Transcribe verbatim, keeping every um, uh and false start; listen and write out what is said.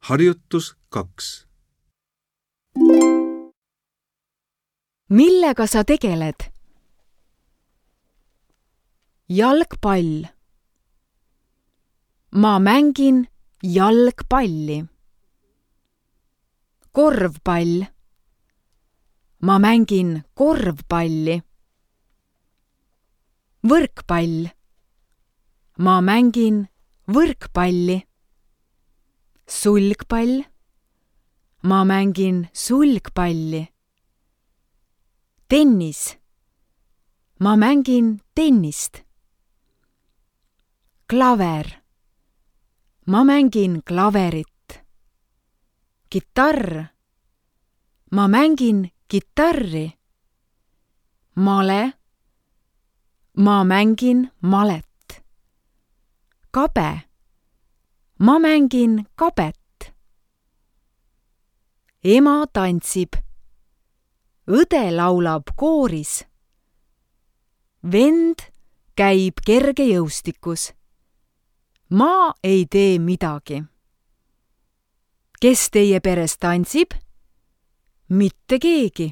Harjutus kaks. Millega sa tegeled? Jalgpall. Ma mängin jalgpalli. Korvpall. Ma mängin korvpalli. Võrkpall. Ma mängin võrkpalli. Sulgpall. Ma mängin sulgpalli. Tennis. Ma mängin tennist. Klaver. Ma mängin klaverit. Kitarr. Ma mängin kitarri. Male. Ma mängin malet. Kabe. Ma mängin kabet. Ema tantsib. Õde laulab kooris. Vend käib kergejõustikus. Ma ei tee midagi. Kes teie peres tantsib? Mitte keegi.